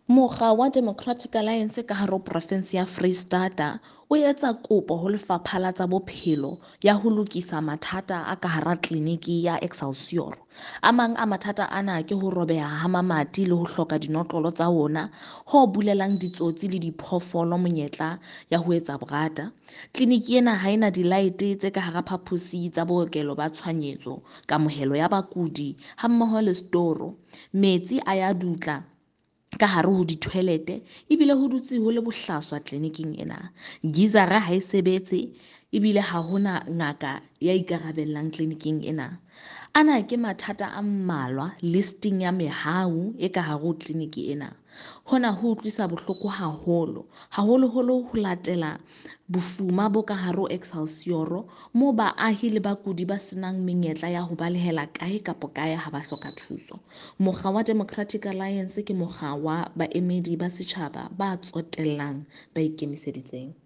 Mokga wa Democratic Alliance ka hare ho porofense ya Freistata o etsa kopo ho Lefapha la tsa Bophelo ya ho lokisa mathata a ka hara tleliniki ya Excelsior. A mang a mathata ana ke ho robeha ha mamati le ho hloka dinotlolo tsa ona, ho bulelang ditsotsi le diphoofolo monyetla ya ho etsa borata. Tleliniki ena ha ena dilaete tse ka hara phaposi tsa bookelo ba tshohanyetso, kamohelo ya bakudi hammoho le setoro. Metsi a ya dutla ka hare ho di-toilet ebile ho dutse ho le bohlaswa tleliniking ena. Geyser-a ha e sebetse ebile ha hona ngaka ya ikarabellang tleliniking ena. Ana ke mathata a mmalwa listing ya mehau e ka hare ho tleliniki ena. Hona ho utlwisa bohloko haholo, haholoholo ho latela bofuma bo ka hare ho Excelsior moo baahi le bakudi ba senang menyetla ya ho balehela kae kapa kae ha ba hloka thuso. Mokga wa Democratic Alliance ke mokga wa baemedi ba setjhaba ba tsotellang, ba ikemiseditseng.